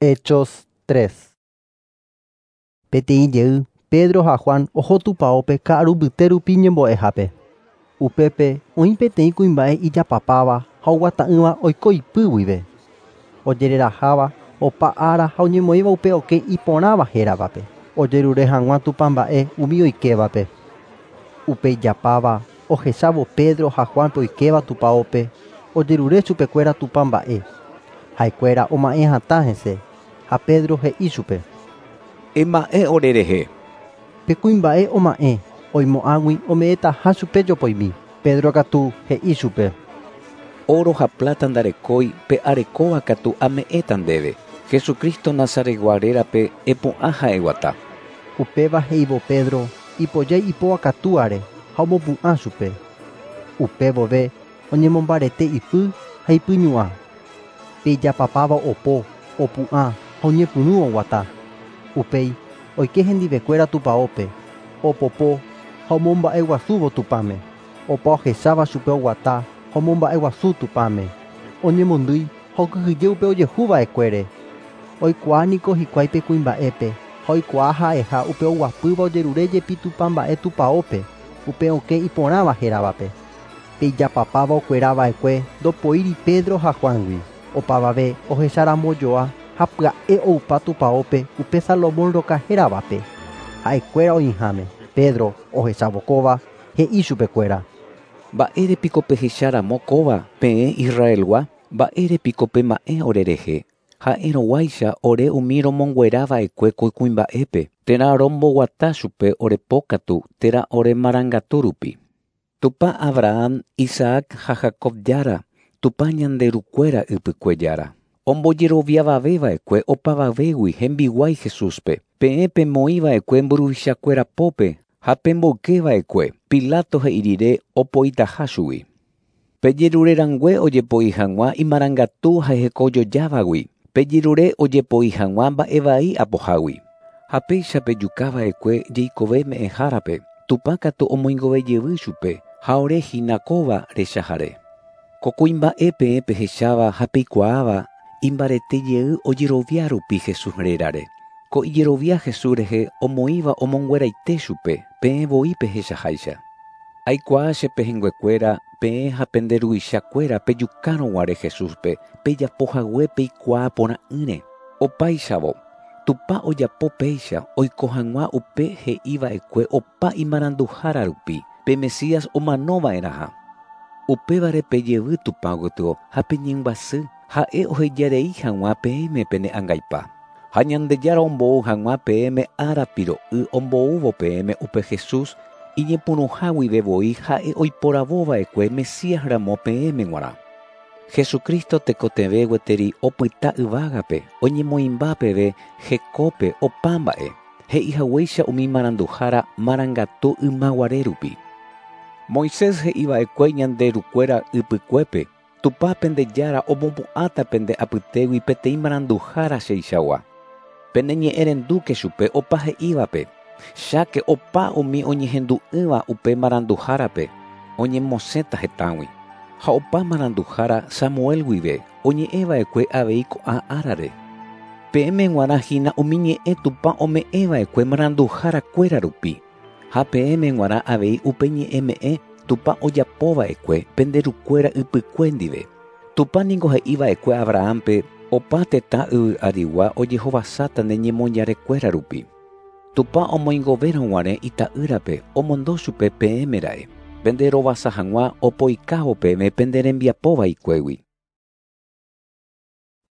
Hechos 3. Peteĩ jey, Pedro ha Juan oho tupaópe ka'aru mbyte rupi ñembo'ehápe. Upépe oĩ peteĩ kuimba'e ijapapáva ha oguata'ỹva oiko ipy guive. Ojereraháva opa ára ha oñemoĩva upe okẽ iporãva héravape. Ojerure hag̃ua tupãmba'e umi oikévape. Upe ijapáva ohechávo Pedro ha Juanpe oikéva tupaópe, ojerure chupekuéra tupãmba'e. Ha'ekuéra oma'ẽ hatã hese ha Pedro he'i chupe. Ema'ẽ orerehe. Pe kuimba'e oma'ẽ oimo'ãgui ome'ẽtaha chupe jopoimi. Pedro katu he'i chupe. Oro ha plata ndarekói pe arekóva katu ame'ẽta ndéve. Jesucristo Nazaretgua rérape epu'ã ha eguata. Upéva he'ívo Pedro ipojái ipo akatúare ha omopu'ã chupe. Upe vove oñemombarete ipy ha ipyñu'ã. Pe ijapapáva opo, opu'ã ha oñepyrũ oguata. Upéi oike hendivekuéra tupaópe, opopo ha omomba'eguasúvo Tupãme. Opa ohecháva chupe oguata ha omomba'eguasu Tupãme. Oñemondýi ha okyhyje upe ojehuva'ekuére. Oikuaa niko hikuái pe kuimba'épe ha oikuaa ha'eha upe oguapýva ojerure jepi tupãmba'e tupaópe, upe okẽ iporãva héravape. Pe ijapapáva okuerava'ekue ndopoíri Pedro ha Juangui. Opavave ohecharamojoa ha pya'e oupa tupaópe upe Salomón roka héravape. Ha'ekuéra oĩháme. Pedro ohechávo kóva he'i chupekuéra. Mba'érepiko pehecharamo kóva peẽ Israelgua? Mba'érepiko pema'ẽ orerehe? Ha'erõguáicha ore umi romonguerava'ekue ko kuimba'épe, térã romboguata chupe orepókatu térã oremarangatu rupi. Tupã Abraham, Isaac ha Jacob jára, Tupã ñande rukuéra ypykue jára. Ombojeroviavaveva'ekue opavavégui hembiguái Jesúspe. Peẽ pemoĩva'ekue mburuvichakuéra pópe ha pemboykeva'ekue Pilato he'i rire opoitaha chugui. Pejerurerangue ojepoi hag̃ua imarangatu ha hekojojávagui. Pejerure ojepoi hag̃ua mba'evai apohágui. Ha péicha pejukava'ekue jeikove me'ẽhárape. Tupã katu omoingovejevy chupe ha ore hína kóva rechahare. Ko kuimba'e peẽ pehecháva ha peikuaáva imbarete jey ojerovia rupi Jesús rérare. Ko ijerovia Jesús rehe omoĩva omongueraite chupe peẽ voi pehechaháicha. Aikuaa che pehẽnguekuéra peẽ ha pende ruvichakuéra pejukárõguare Jesúspe pejapohague peikuaa porã'ỹre. Opáichavo, Tupã ojapo péicha oiko hag̃ua upe he'iva'ekue opa imaranduhára rupi pe Mesías omanova'erãha. Upévare pejevy Tupã gotyo ha peñembyasy ha'e ohejarei hag̃ua peẽme pene angaipa. Ha Ñandejára ombou hag̃ua peẽme ára piro'y omboúvo peẽme upe Jesús iñepyrũha guive voi ha'e oiporavova'ekue Mesías ramo peẽme g̃uarã. Jesucristo tekotevẽ gueteri opyta yvágape oñemoĩmba peve hekópe opa mba'e. He'ihaguéicha umi maranduhára marangatu ymaguare rupi. Moisés he'iva'ekue ñande rukuéra ypykuépe, Tupã pende jára omopu'ãta pende apytégui peteĩ maranduhára cheichagua. Pene ñe'ẽrendúke chupe opa he'ívape. Cháke opa umi oñehendu'ỹva upe maranduhárape oñemosẽta hetãgui. Ha opa maranduhára Samuel guive oñe'ẽva'ekue avei ko'ã árare. Peẽme g̃uarã hína umi ñe'ẽ Tupã ome'ẽva'ekue maranduharakuéra rupi. Ha peẽme g̃uarã avei upe ñe'ẽme'ẽ Tupã ojapova'ekue pende rukuéra ypykue ndive. Tupã niko he'iva'ekue Abrahampe opa tetã yvy arigua ojehovasáta ne ñemoñarekuéra rupi. Tupã omoingovérõguare ita'ýrape omondo chupe peẽme ra'e. Pende rovasa hag̃ua opoikávo peẽme pende rembiapo vaikuégui.